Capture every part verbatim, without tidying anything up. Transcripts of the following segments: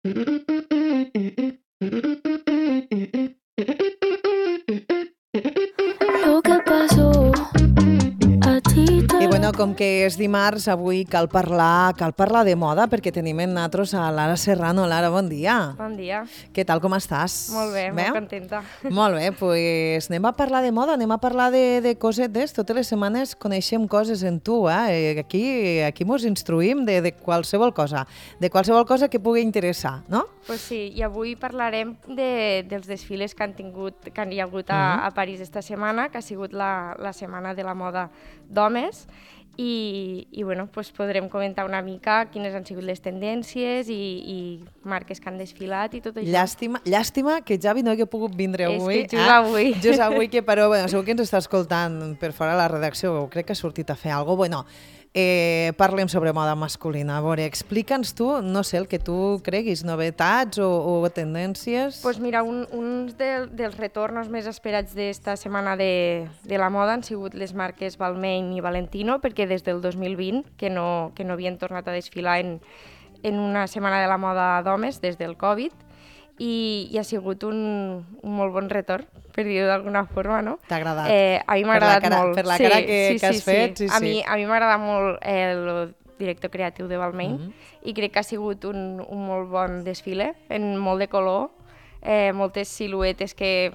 Lo que pasó a ti te... I bueno, com que és dimarts, avui cal parlar, cal parlar de moda, perquè tenim en nosaltres a Lara Serrano. Lara, bon dia. Bon dia. Què tal, com estàs? Molt bé, bé? molt contenta. Molt bé, doncs pues anem a parlar de moda, anem a parlar de, de cosetes. Totes les setmanes coneixem coses en tu, eh? Aquí, aquí mos instruïm de, de qualsevol cosa, de qualsevol cosa que pugui interessar, no? Pues sí, i avui parlarem de, dels desfiles que han tingut, que han hi ha hagut a, Mm-hmm. a París esta setmana, que ha sigut la, la setmana de la moda d'homes, i, i bueno, pues podrem comentar una mica quines han sigut les tendències i, i marques que han desfilat i tot això. Llàstima, llàstima que Javi no hagi pogut vindre És avui. que juga avui. Just avui, que però bueno, segur que ens està escoltant per fora de la redacció, crec que ha sortit a fer alguna cosa. Bueno, eh, parlem sobre moda masculina. A veure, explica'ns tu, no sé, el que tu creguis, novetats o, o tendències. Pues mira, un, uns de, dels retornos més esperats d'esta setmana de, de la moda han sigut les marques Balmain i Valentino, perquè des del dos mil vint que no, que no havien tornat a desfilar en, en una setmana de la moda d'homes des del Covid, i, i ha sigut un, un molt bon retorn, per dir-ho d'alguna forma, no? T'ha agradat? Eh, a mi m'ha agradat cara, molt. Per la sí, cara que, sí, que has sí, fet, sí, sí. A sí. mi, a mi m'agrada molt el director creatiu de Balmain, Mm-hmm. i crec que ha sigut un, un molt bon desfile, en molt de color, eh, moltes siluetes que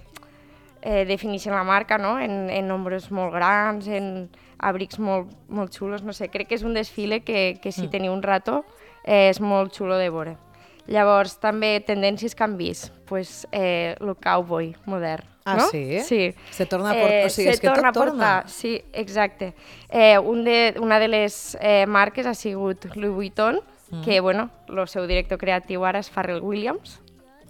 eh, defineixen la marca, no? En, en nombres molt grans, en abrics molt, molt xulos, no sé, crec que és un desfile que, que si Mm. teniu un rato eh, és molt xulo de veure. Llavors, també tendències que han vist, pues, eh, el cowboy modern. Ah, no? sí? Sí. Se torna a portar, Eh, o sigui, se és que torna tot a portar, torna. sí, exacte. Eh, un de, una de les eh, marques ha sigut Louis Vuitton, Mm. que, bueno, el seu director creatiu ara és Pharrell Williams,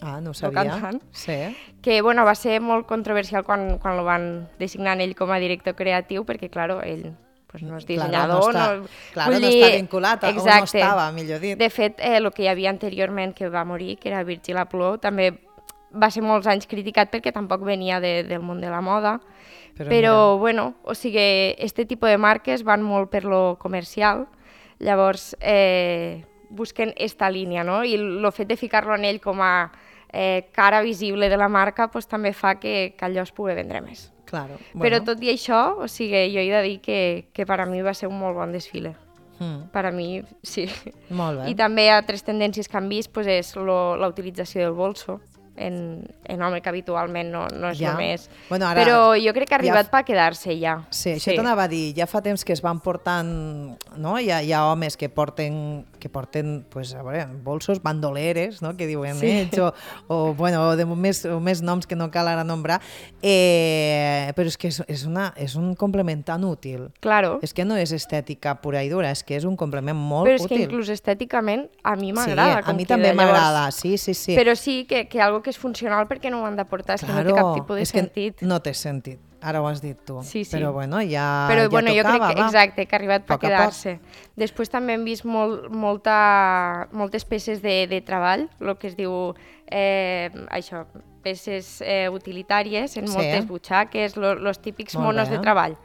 Ah, no ho el sabia. cantant. Sí. que, bueno, va ser molt controversial quan, quan el van designar ell com a director creatiu, perquè, clar, ell pues, no és dissenyador. Claro, no està, no, claro, vull no dir, està vinculat, a- o no exacte. estava, millor dit. De fet, eh, el que hi havia anteriorment, que va morir, que era Virgil Abloh, també va ser molts anys criticat perquè tampoc venia de, del món de la moda. Però, Però, mira, bueno, o sigui, este tipus de marques van molt per lo comercial, llavors eh, busquen esta línia, no? I el fet de ficar-lo en ell com a eh, cara visible de la marca pues, també fa que, que allò es pugui vendre més. claro. Però tot i això, o sigui, jo he de dir que, que per a mi va ser un molt bon desfile. Mm, Per a mi, sí. molt bé. I també altres tendències que han vist pues, és lo, la utilització del bolso en, en home, que habitualment no, no és Ja. només. Bueno, ara Però jo crec que ha ja arribat f- per quedar-se ja. Sí, això t'anava a dir, ja fa temps que es van portant, no? Hi ha, hi ha homes que porten, que porten pues, a veure, bolsos, bandoleres, no? Que diuen Sí. ells, o, o, bueno, de més, o més noms que no cal ara nombrar, eh, però és que és, és, una, és un complement tan útil. Claro, És que no és estètica pura i dura, és que és un complement molt però és que útil. inclús estèticament a mi Sí, m'agrada. a com mi queda. també Llavors, m'agrada, sí, sí, sí. Però sí que, que algo que és funcional perquè no ho han de portar, és que no té cap tipus de és que sentit. no té sentit. Ara ho has dit tu. Sí, sí. Però bueno, ja, Però ja bueno, jo tocava, crec que, va. exacte, que ha arribat per Poc a poc. quedar-se. Després també hem vist molt, molta, moltes peces de, de treball, el que es diu eh, això, peces eh, utilitàries en Sí. moltes butxaques, els típics Molt monos bé. de treball.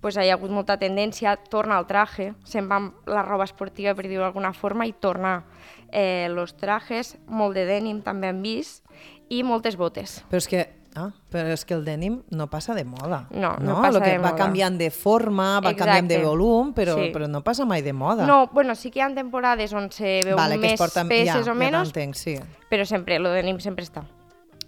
Pues hi ha hagut molta tendència, torna al traje, se'n va amb la roba esportiva, per dir-ho d'alguna forma, i torna eh, los trajes, molt de denim també hem vist, i moltes botes. Però és que Ah, però és que el denim no passa de moda. No, no passa Lo que de va moda. canviant de forma, va Exacte. canviant de volum, però, Sí. però no passa mai de moda. No, bueno, sí que hi ha temporades on se veu vale, que es més porta, peces ja, o menys, Ja t'entenc, sí. però sempre, lo denim sempre està.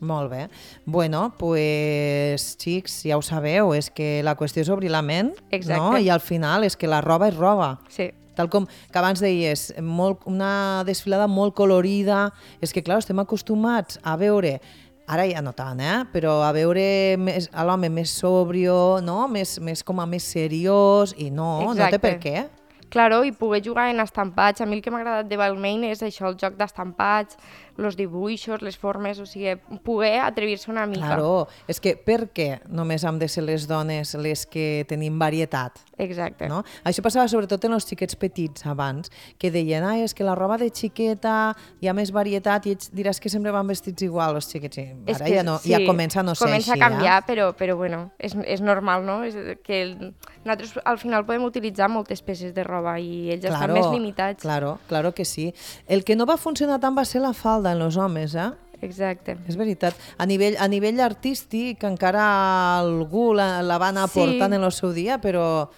Molt bé. Bueno, pues, xics, ja ho sabeu, és que la qüestió és obrir la ment, Exacte. no? I al final és que la roba és roba. Sí. Tal com que abans deies, molt, una desfilada molt colorida. És que, clar, estem acostumats a veure, ara ja no tant, eh? Però a veure més, a l'home més sobrio, no? Més, més com a més seriós, i no, no té Exacte. per què. Claro, i poder jugar en estampats. A mi el que m'ha agradat de Balmain és això, el joc d'estampats, els dibuixos, les formes, o sigui, poder atrevir-se una mica. Claro, és que per què només hem de ser les dones les que tenim varietat? Exacte. No? Això passava sobretot en els xiquets petits abans, que deien, ah, és que la roba de xiqueta hi ha més varietat i ets, diràs que sempre van vestits igual els xiquets. I És ara que ja, no, ja comença a no ser comença així. a canviar, eh? però, però bueno, és, és normal, no? És que el, nosaltres al final podem utilitzar moltes peces de roba roba i ells Claro, estan més limitats. Claro, claro que sí. El que no va funcionar tant va ser la falda en els homes, eh? Exacte. És veritat. A nivell, a nivell artístic encara algú la, la va anar Sí. portant en el seu dia, però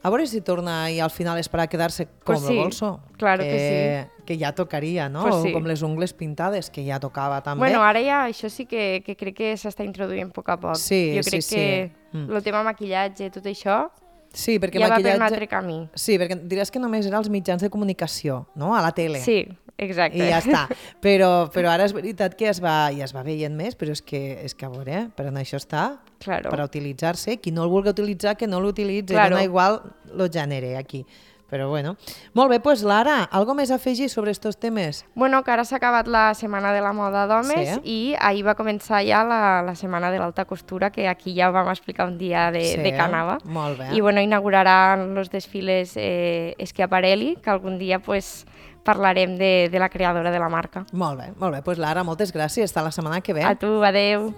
a veure si torna i al final és per a quedar-se com Pues el sí, bolso. claro que, que que ja tocaria, no? Pues O sí. com les ungles pintades, que ja tocava també. Bueno, ara ja això sí que, que crec que s'està introduint a poc a poc. Sí, jo sí, crec sí. que Mm. el tema maquillatge, tot això, sí, perquè ja va per maquillatge... un altre camí. Sí, perquè diràs que només era als mitjans de comunicació, no? A la tele. Sí, exacte. I ja està. Però, però ara és veritat que es va, ja es va veient més, però és que, és que a veure, eh? per on això està, Claro. per a utilitzar-se. Qui no el vulgui utilitzar, que no l'utilitzi. Claro. Dona igual el gènere aquí. Però bueno. Molt bé, doncs Lara, algo més a afegir sobre estos temes? Bueno, que ara s'ha acabat la Setmana de la Moda d'Homes Sí. i ahir va començar ja la, la Setmana de l'Alta Costura, que aquí ja vam explicar un dia de, Sí, de Canava. molt bé. I bueno, inauguraran els desfiles eh, Schiaparelli, que algun dia pues, parlarem de, de la creadora de la marca. Molt bé, molt bé. Doncs Lara, moltes gràcies. Fins la setmana que ve. A tu, adeu.